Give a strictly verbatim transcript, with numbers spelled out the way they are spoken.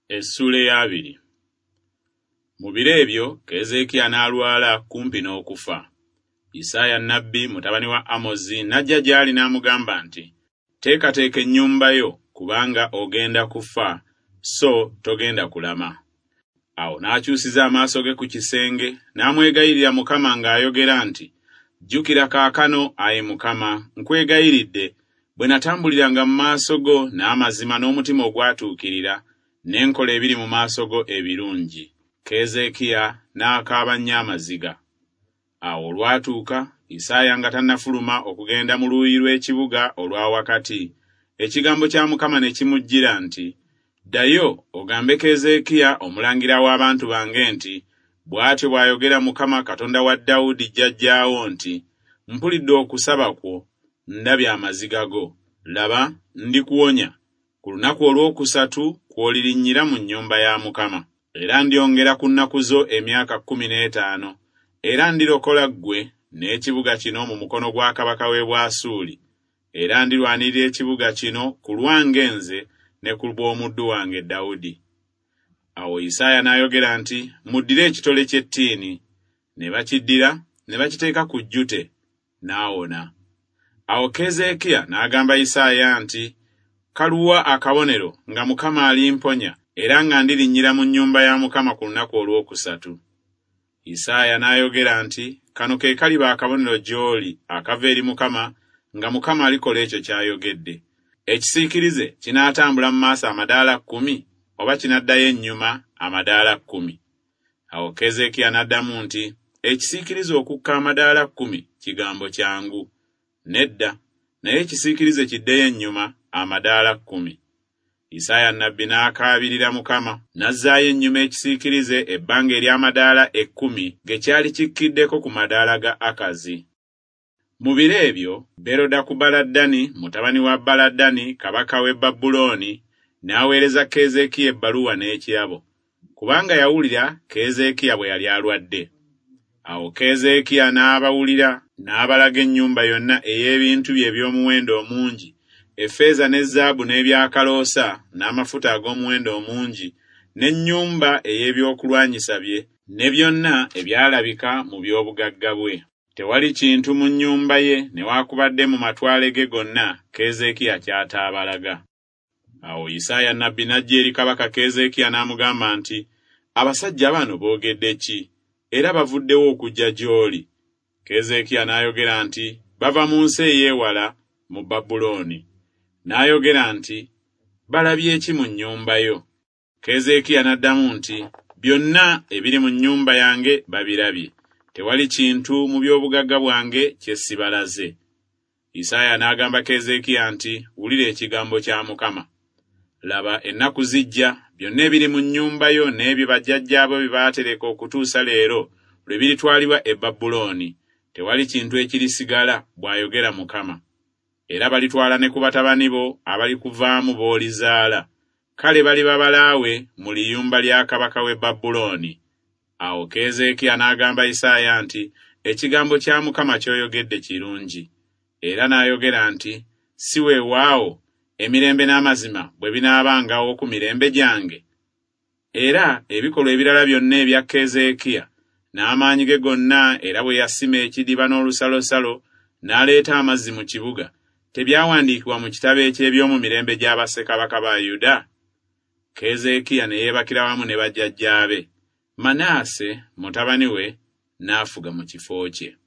Essuula ey'abiri. Mu biro ebyo Keezeekiya n'alwala kumpi n'okufa. Isaaya nnabbi mutabani wa Amozi n'ajja gy'ali n'amugamba nti, Teekateeka ennyumba yo, kubanga ogenda kufa, so togenda kulama. Awo n'akyusiza amaaso ge ku kisenge, n'amwegayirira Mukama ng'ayogera nti, Jjukira kaakano, ayi Mukama, nkwegayiridde, bwe natambuliranga mu maaso go n'amazima n'omutima ogwatuukirira, ne nkola ebiri mu maaso go ebirungi. Keezeekiya n'akaaba nnyo amaziga. Awo olwatuuka, Isaaya nga tannafuluma okugenda mu luuyi lw'ekibuga olwa wakati, ekigambo kya Mukama ne kimujjira nti, Ddayo ogambe Keezeekiya omulangira w'abantu bange nti, Bw'atyo bw'ayogera Mukama Katonda wa Dawudi jjajjaawo nti, Mpulidde okusaba kwo, ndabye amaziga go. Laba, ndikuwonya. Ku lunaku olwokusatu kw'olirinnyira mu nnyumba ya Mukama. Era ndyongera ku nnaku zo emyaka kkumi n'etaano, era ndirokola ggwe n'ekibuga kino mu mukono gwa kabaka w'e Bwasuuli. Era ndirwanirira ekibuga kino ku lwange nze ne ku bw'omuddu wange Dawudi. Awo Isaaya n'ayogera nti, Muddire ekitole ky'ettiini. Ne bakiddira, ne bakiteeka ku jjute, n'awona. Awo Keezeekiya n'agamba Isaaya nti, Kaluwa akabonero nga Mukama alimponya, era nga ndirinnyira mu nnyumba ya Mukama ku lunaku olwokusatu. Isaaya n'ayogera nti, Kano ke kaliba akabonero gy'oli akava eri Mukama, nga Mukama alikola ekyo ky'ayogedde. Ekisiikirize kinaatambula mu maaso amadaala kkumi, oba kinaddayo ennyuma amadaala kkumi? Awo Keezeekiya n'addamu nti, Ekisiikirize okukka amadaala kkumi kigambo kyangu. Nedda, naye ekisiikirize kiddeyo ennyuma amadaala kkumi. Isaaya nnabbi n'akaabirira Mukama, n'azzaayo ennyuma ekisiikirize ebbanga ery'amadaala ekkumi ge kyali kikkiddeko ku madaala ga Akazi. Mu biro ebyo Berodakubaladani mutabani wa Baladani kabaka w'e Babulooni n'aweereza Keezeekiya ebbaluwa n'ekirabo, kubanga yawulira Keezeekiya bwe yali alwadde. Awo Keezeekiya n'abawulira n'abalaga ennyumba yonna ey'ebintu bye eby'omuwendo omungi, effeeza ne zaabu n'ebyakaloosa n'amafuta ag'omuwendo omungi, n'ennyumba ey'ebyokulwanyisa bye, ne byonna ebyalabika mu by'obugagga bwe. Tewali kintu mu nnyumba ye newaakubadde mu matwale ge gonna Keezeekiya ky'ataabalaga. Awo Isaaya nnabbi n'ajja eri kabaka Keezeekiya n'amugamba nti, Abasajja bano boogedde ki? Era bavuddewo okujja gy'oli. Keezeekiya n'ayogera nti, Bava mu nsi ey'ewala, mu Babulooni. N'ayogera nti, Balabye ki mu nnyumba yo? Keezeekiya n'addamu nti, Byonna ebiri mu nnyumba yange babirabye. Tewali kintu mu by'obugagga bwange kye sibalaze. Isaaya n'agamba Keezeekiya nti, Wulira ekigambo kya Mukama. Laba, ennaku zijja, byonna ebiri mu nnyumba yo n'ebyo bajjajjaabo bye baatereka okutuusa leero lwe biritwalibwa e Babulooni. Tewali kintu ekirisigala, bw'ayogera Mukama. Era balitwala ne ku batabani bo abalikuvaamu b'olizaala. Kale baliba balaawe mu liyumba lya kabaka w'e Babulooni. Awo Keezeekiya n'agamba Isaaya nti, Ekigambo kya Mukama ky'oyogedde kirungi. Era n'ayogera nti, Si weewaawo, emirembe n'amazima bwe binaabangawo ku mirembe gyange. Era ebikolwa ebirala byonna ebya Keezeekiya n'amaanyi ge gonna, era bwe yasima ekidiba n'olusalosalo n'aleeta amazzi mu kibuga, tebyawandiikibwa mu kitabo eky'eby'omu mirembe gya bassekabaka ba Yuda? Keezeekiya ne yeebakira wamu ne bajjajjaabe. Manaase mutabani we n'afuga mu kifo kye.